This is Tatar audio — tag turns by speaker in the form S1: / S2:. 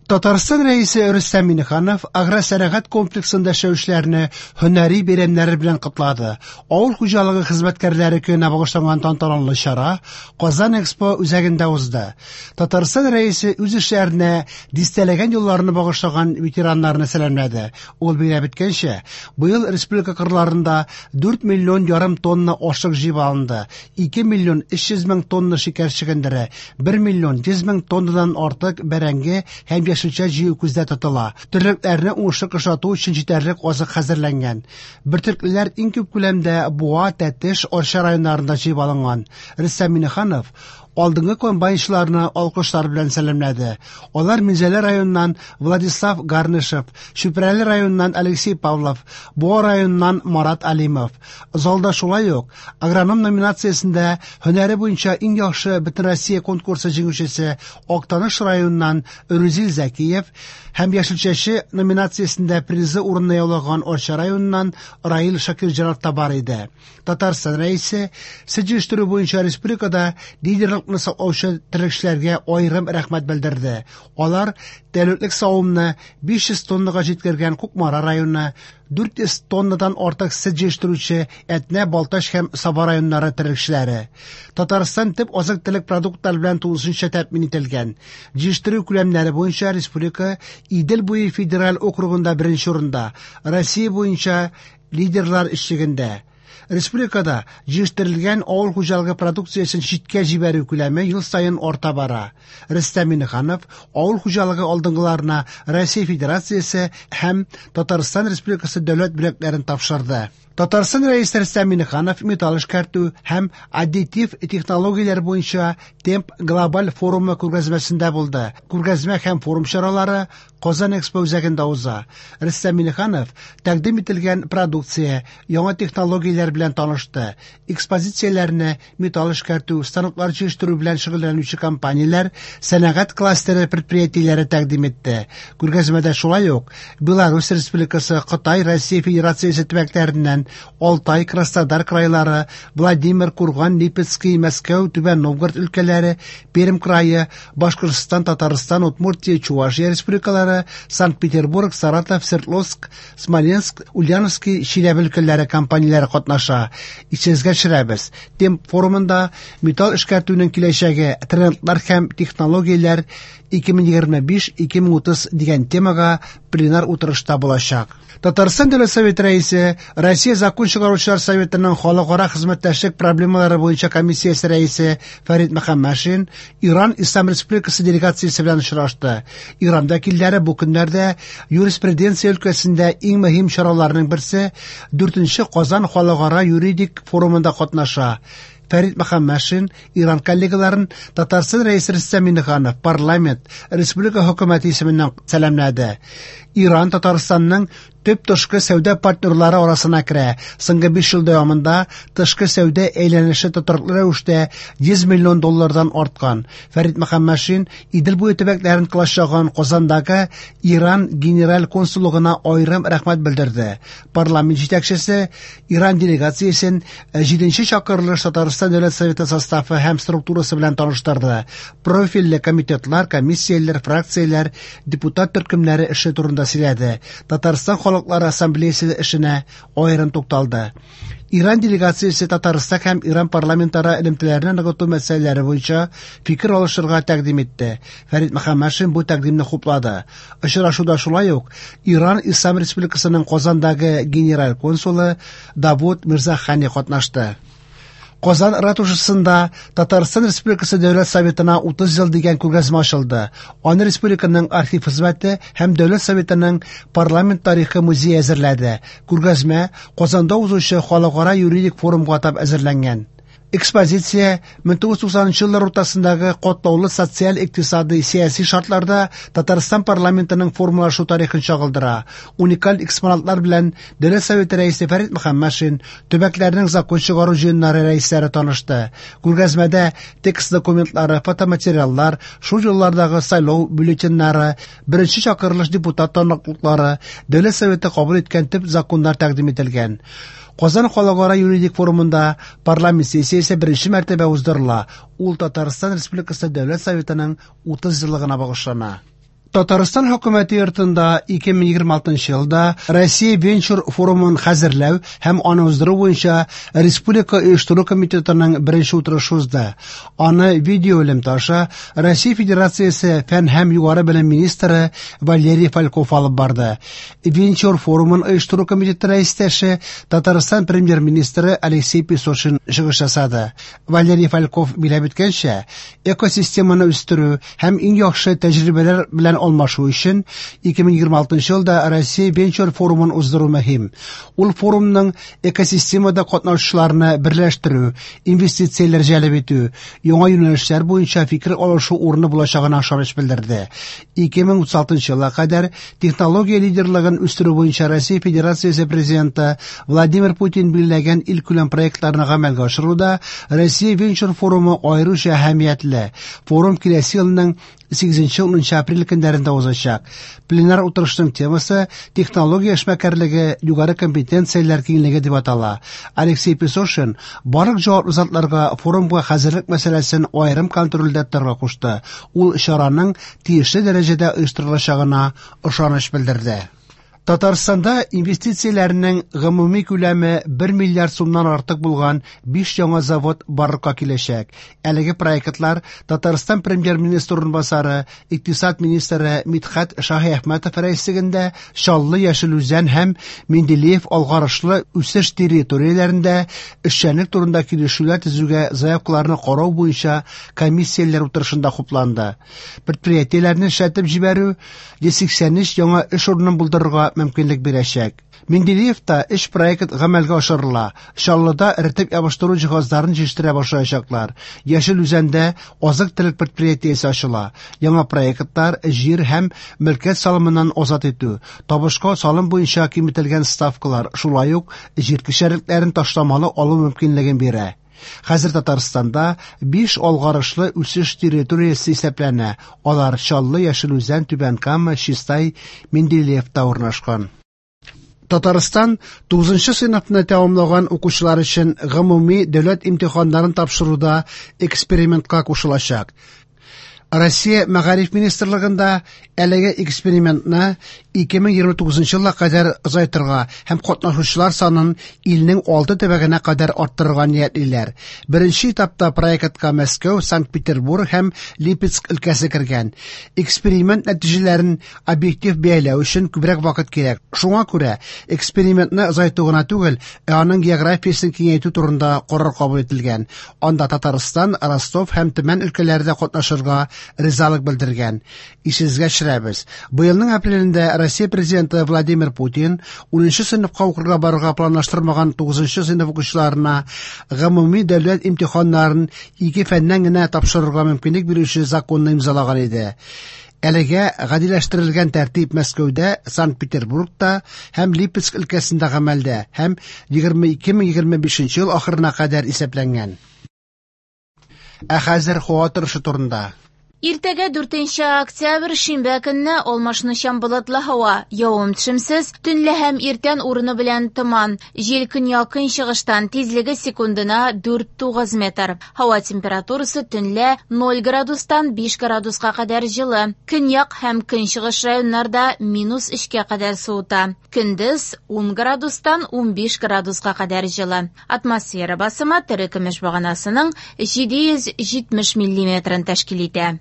S1: Татарстан Рәисе Рөстәм Миңнеханов агросәнәгать комплексында эшләүчеләрне һөнәри бәйрәмнәре белән котлады. Авыл хуҗалыгы хезмәткәрләре көненә багышланган тантаналы чара Казан Экспо үзәгендә узды. Татарстан Рәисе үз эшләренә дистәләгән елларны багышлаган ветераннарны сәламләде. Ул билгеләп үткәнчә, быел республика кырларында 4 миллион ярым тонна ашлык җыеп алынды, 2 миллион 300 мең тонна шикәр чөгендере, 1 миллион 100 мең тоннадан артык бәрәңге һәм яшелчә җыю күздә тотыла. Терлекләрне уңышлы кышлату өчен җитәрлек азык хәзерләнгән. Бөртеклеләр иң күп күләмдә Буа, Тәтеш, Арча районнарында җыеп алынган. Рөстәм Миңнеханов алдынгы комбайнчыларны алкышлар белән сәламләде. Алар Минзәлә районыннан Владислав Гарнышев, Чүпрәле районыннан Алексей Павлов, Буа районыннан Марат Алимов. Залда шулай ук агроном номинациясендә һөнәре буенча иң яхшы Бөтенроссия конкурсы җиңүчесе Актаныш районыннан Рүзил Зәкиев һәм яшелчәче номинациясендә призлы урынны яулаган Арча районыннан Раил Шакирҗанов та бар иде. Татарстан Рәисе сөт җитештерү буенча республикада лидерлыкны саклаучы терлекчеләргә аерым рәхмәт белдерде. Алар тәүлеклек савымны 500 тоннага җиткергән Кукмара районы, 400 тоннадан артык сөт җитештерүче Әтнә, Балтач һәм Саба районнары терлекчеләре. Татарстан төп азык-төлек продуктлары белән тулысынча тәэмин ителгән. Җитештерү күләмнәре буенча республика Идел буе федераль округында беренче урында, Россия буенча лидерлар өчлегендә. Республикада җитештерелгән авыл хуҗалыгы продукциясен читкә җибәрү күләме ел саен арта бара. Рөстәм Миңнеханов авыл хуҗалыгы алдынгыларына Россия Федерациясе һәм Татарстан Республикасы дәүләт бүләкләрен тапшырды. Татарстан Рәисе Рөстәм Миңнеханов металл эшкәртү һәм аддитив технологияләр буенча Темп глобаль форумы күргәзмәсендә булды. Күргәзмә һәм форум чаралары Казан Экспо үзәгендә уза. Рөстәм Миңнеханов тәкъдим ителгән продукция, яңа технологияләр белән танышты. Экспозицияләрне металл эшкәртү, станоклар җыештыру белән шөгыльләнүче компанияләр, сәнәгать кластеры предприятиеләре тәкъдим итте. Күргәзмәдә шулай ук Беларусь Республикасы, Кытай, Россия Федерациясе төбәкләреннән, Алтай, Краснодар крайлары, Владимир, Курган, Липецкий, Мәскәү, Түбән Новгород өлкәләре, Пермь крае, Башкортстан, Татарстан, Удмуртия, Чувашия республикалары, Санкт-Петербург, Саратов, Свердловск, Смоленск, Ульяновский, Чиләбе өлкәләре компанияләре катнаша. Исегезгә төшерәбез, Темп форумында металл эшкәртүнең киләчәге, трендлар һәм технологияләр 2025-2030 дигән темага пленар утырышта булачак. Татарстан Дәүләт Советы рәисе, Россия Закон чыгаручылар советының халыкара хезмәттәшлек проблемалары буенча комиссиясе рәисе Фәрид Мөхәммәтшин Иран Ислам Республикасы делегациясе белән очрашты. Иран вәкилләре бу көннәрдә юриспруденция өлкәсендә иң мөһим чараларның берсе 4нче Казан халыкара юридик форумында катнаша. Фәрид Мөхәммәтшин Иран коллегаларын Татарстан Рәисе Рөстәм Миңнеханов, парламент, республика хөкүмәте исеменнән сәламләде. Иран Татарстанның төп тышкы сәүдә партнерлары арасына керә. Соңгы 5 ел дәвамында тышкы сәүдә әйләнеше тотрыклы рәвештә 100 миллион доллардан арткан. Фәрид Мөхәммәтшин Идел буе төбәкләрен колачлаган Казандагы Иран генераль консуллыгына аерым рәхмәт белдерде. Парламент җитәкчесе Иран делегациясен 7нче чакырылыш Татарстан Дәүләт Советы составы һәм структурасы белән таныштырды. Профильле комитетлар, комиссияләр, фракцияләр, депутат төркемнәре эше турында сөйләде. Татарстан халыклары ассамблеясы эшенә аерым тукталды. Иран делегациясе Татарстан һәм Иран парламентара элемтәләрне ныгыту мәсьәләләре буенча фикер алышырга тәкъдим итте. Фәрид Мөхәммәтшин бу тәкъдимне хуплады. Очрашуда шулай ук Иран Ислам Республикасының Казандагы генераль консулы Давуд Мирзахани катнашты. Казан ратушасында Татарстан Республикасы Дәүләт Советына 30 ел дигән күргәзмә ачылды. Аны республиканың архив хезмәте һәм Дәүләт Советының парламент тарихы музее әзерләде. Күргәзмә Казанда узучы халыкара юридик форумга атап әзерләнгән. Экспозиция 1990 еллар уртасындагы катлаулы социаль-икътисади, сәяси шартларда Татарстан парламентының формалашу тарихын чагылдыра. Уникаль экспонатлар белән Дәүләт Советы рәисе Фәрид Мөхәммәтшин, төбәкләрнең закон чыгару җыеннары рәисләре танышты. Күргәзмәдә текст документлары, фотоматериаллар, шул еллардагы сайлау бюллетеньнары, беренче чакырылыш депутат таныклыклары, Дәүләт Советы кабул иткән төп законнар тәкъдим ителгән. Казан халыкара юридик форумында парламент сессиясе беренче мәртәбә уздырыла. Ул Татарстан Республикасы Дәүләт Советының 30 еллыгына багышлана. Татарстан хөкүмәте йортында 2026 елда Россия венчур форумын хәзерләү һәм аны уздыру буенча Республика оештыру комитетының беренче утырышы узды. Аны видео элемтә аша Россия Федерациясе фән һәм югары белем министры Валерий Фальков алып барды. Венчур форумын оештыру комитеты рәистәше Татарстан премьер-министры Алексей Песошин чыгыш ясады. Валерий Фальков биләп үткәнчә, экосистеманы үстерү һәм иң яхшы тәҗрибәләр белән алмашу өчен 2026 елда Россия венчур форумын уздыру мөһим. Ул форумның экосистемада катнашучыларны берләштерү, инвестицияләр җәлеп итү, яңа юнәлешләр буенча фикер алышу урыны булачагына ышаныч белдерде. 2036 елга кадәр технология лидерлыгын үстерү буенча Россия Федерациясе Президенты Владимир Путин билгеләгән илкүләм проектларны гамәлгә ашыруда Россия венчур форумы аеруча әһәмиятле. Форум киләсе елның 8-10 апрель көннәрендә узачак. Пленар утырышның темасы технология эшмәкәрлеге югары компетенцияләр киңлеге дип атала. Алексей Песошин барлык җаваплы затларга форумга хәзерлек мәсьәләсен аерым контрольдә тотарга кушты. Ул чараның тиешле дәрәҗәдә оештырылачагына ышаныч белдерде. Татарстанда инвестицияләрнең гомуми күләме 1 миллиард сумнан артык булган 5 яңа завод барлыкка киләчәк. Әлеге проектлар Татарстан премьер-министры урынбасары, икътисад министры Мидхәт Шаһиәхмәтов рәислегендә Чаллы, Яшел Үзән һәм Менделеев алгарышлы үсеш территорияләрендә эшчәнлек турында килешүләр төзүгә заявкаларны карау буенча комиссияләр утырышында хупланды. Предприятиеләрне эшләтеп җибәрү 183 яңа эш урынын булдырырга мөмкинлек бирәчәк. Менделеевта өч проект гамәлгә ашырыла. Чаллыда эретеп ябыштыру җиһазларын җитештерә башлаячаклар. Яшел Үзәндә азык-төлек предприятиесе ачыла. Яңа проектлар җир һәм мөлкәт салымыннан азат итү, табышка салым буенча киметелгән ставкалар, шулай ук җир кишәрлекләрен ташламалы алу мөмкинлеген бирә. Хәзер Татарстанда 5 алгарышлы үсеш территориясе исәпләнә. Алар Чаллы, Яшел Үзән, Түбән Кама, Чистай, Менделеевта урнашкан. Татарстан 9 сыйныфны тәмамлаган укучылар өчен гомуми дәүләт имтиханнарын тапшыруда экспериментка кушылачак. Россия Мәгариф министрлыгында әлеге экспериментны 2029 елга кадәр озайтырга һәм катнашучылар санын илнең 6 төбәгенә кадәр арттырырга ниятлиләр. Беренче этапта проектка Мәскәү, Санкт-Петербург һәм Липецк өлкәсе кергән. Эксперимент нәтиҗәләрен объектив бәяләү өчен күбрәк вакыт кирәк. Шуңа күрә экспериментны озайту гына түгел, ә аның географиясен киңәйтү турында карар кабул ителгән. Анда Татарстан, Ростов һәм Төмән өлкәләре дә катнашырга ризалык белдергән. Исегезгә төшерәбез. Быелның апрелендә Россия президенты Владимир Путин 10 сыйныфка укырга барырга планлаштырмаган 9 сыйныф укучыларына гомуми дәүләт имтиханнарын ике фәннән генә тапшырырга мөмкинлек бирүче законны имзалаган иде. Әлегә гадиләштерелгән тәртип Мәскәүдә, Санкт-Петербургта һәм Липецк өлкәсендә гамәлдә һәм 2025 ел ахырына кадәр исәпләнгән. Ә хәзер һава торышы турында.
S2: Иртәгә 4 октябрь шимбә көнне алмашынучан болытлы һава, явым-төшемсез, төнлә һәм иртән урыны белән томан. Җил көньяк-көнчыгыштан, тизлеге секундына 4-9 метр. Һава температурасы төнлә 0 градустан 5 градуска кадәр җылы. Көньяк һәм көнчыгыш районнарда минус 3-кә кадәр суыта. Көндез 10 градустан 15 градуска кадәр җылы. Атмосфера басымы терекөмеш баганасының 770 миллиметрын тәшкил итә.